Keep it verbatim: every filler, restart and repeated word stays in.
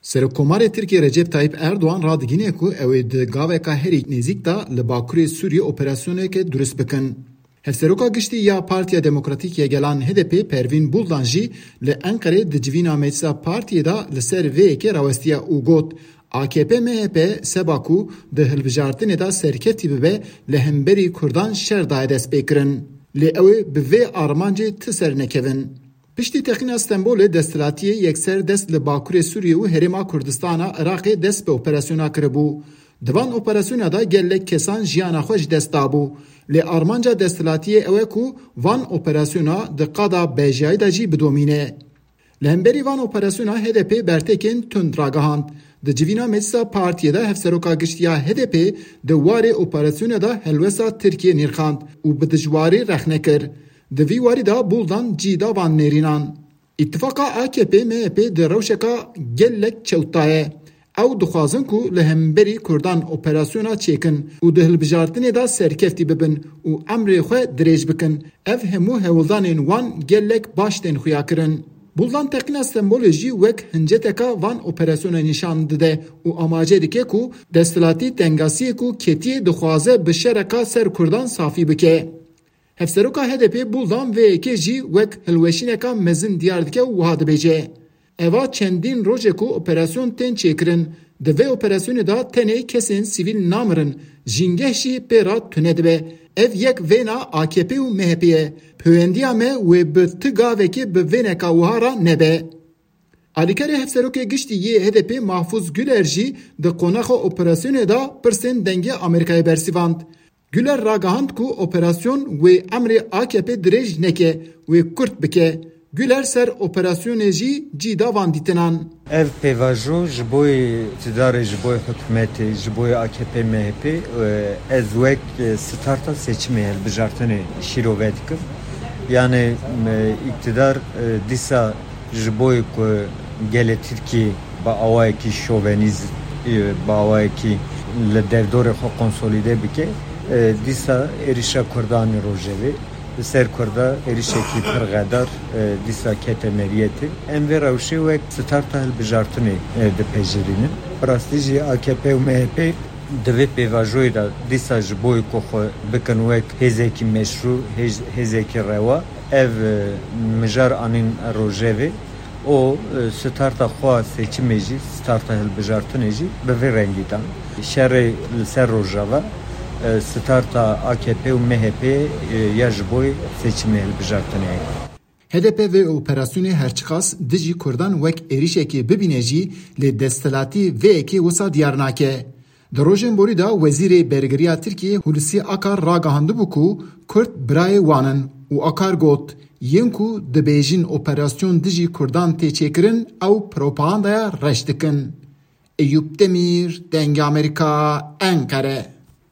Serokkomarê Tirkiyê Recep Tayyip Erdoğan radigihîne ku ew ê di gaveka herî nêzîk de li Bakurê Sûriyê operasyoneke durist bikin. Hevseroka Giştî ya Partiya Demokratîk ya Gelan H D P Pervîn Buldan jî li Enqerê di civîna Meclisa Partiyê de li ser vê yekê rawestiye û got, A K P M H P seba ku di hilbijartinê de serkeftî bibe li hemberî Kurdan şer daye destpêkirin. Lê ew ê bi vê armancê ti ser nekevin. Piştî teqîna Stenbolê desthilatiyê yekser dest li Bakurê Sûriyê û Herêma Kurdistana Iraqê dest bi operasyona kiribû. Di van operasyona de gelek kesan jiyana xwe ji dest dabû. Lê armanca desthilatiyê ew e ku van operasyona di qada bejiyayî de jî bidomîne. Li hemberî van operasyona H D P bertekên tund ragihand. Di civîna Meclisa Partiyê de Hevseroka Giştî ya H D P di warê operasyona de helwesta Tirkiyê nirxand û bi dijwarî rexne kir. Di vî warî de Buldan cî da van nêrînan. Îtifaqa A K P M H P di rewşeka gelek çewt de ye. Ew dixwazin ku li hemberî Kurdan operasyona çêkin û di hilbijartinê de serkeftî bibin û emrê xwe dirêj bikin. Ev hemû hewldanên wan gelek baş tên xuyakirin. Buldan teqîna Stenbolê jî wek hinceteka van operasyona nîşan dide û amaje dike ku desthilatî tengasiyê ku ketiye dixwaze bi şereka ser Kurdan safî bike. Hevseroka H D P Buldan vê yekê jî wek hilweşîneka mezin diyar dike û wiha dibêje, Eva çendîn roj e ku operasyon tên çêkirin. Di vê operasyonê de tenê kesên sivîl namirin, jîngeh jî pê re tune dibe. Ev yek vêna A K P û M H P ye. Pewendiya me wê bi ti gavekê bi vêneka wiha re nebe. Alîkarê Hevserokê Giştî yê H D P Mahfuz Güler jî di qonaxa operasyonê de pirsên dengê Amerîkayê bersivand. Güler ragihand ku operasyon wê emrê A K P dirêj neke, wê kurt bike. Güler ser operasyonê jî cî da van dîtinan. Ev pêvajo ji bo yê îqtidarê, ji bo yê hikûmetê, ji bo yê A K P M H P, e, ez wek, e, starta seçimê hilbijartinê şîrove dikim. Yani, e, îqtidar, e, dîsa ji bo ku gelê Tirkiyê bi awayekî şovenîz, e, bi awayekî li derdorê xwe konsolîde bike, e, dîsa êrişa Kurdan ê rojevê li ser Kurda êrişekî pir xedar, e, dîsa kete meriyetê. Em vê rewşê wek starta hilbijartinê, e, dipejirînin. Bi rastî jî A K P û M H P di vê pêvajoyê de dîsa ji bo ku xwe bikin wek hêzekî meşrû, hêz-, hêzekî rewa, ev, e, mijar anîn rojevê û, e, starta xwe seçimê jî, starta hilbijartinê jî bi vê rengî dan. Şerê li ser Rojava, e, starta A K P û M H P, e, ya ji bo seçimê hilbijartinê ye. H D P vê operasyonê herçiqas dijî Kurdan wek êrişekê bibîne jî, lê desthilatî vê yekê wisa diyar nake. Di rojên borî de Wezîrê Bergiriya Tirkiyê Hulusi Akar ragihandibû ku Kurd birayê wan in û Akar got, yên ku dibêjin operasyon dijî Kurdan tê çêkirin, ew propagandaya reş dikin. Eyûp Demîr, Dengê Amerîka, Enqere.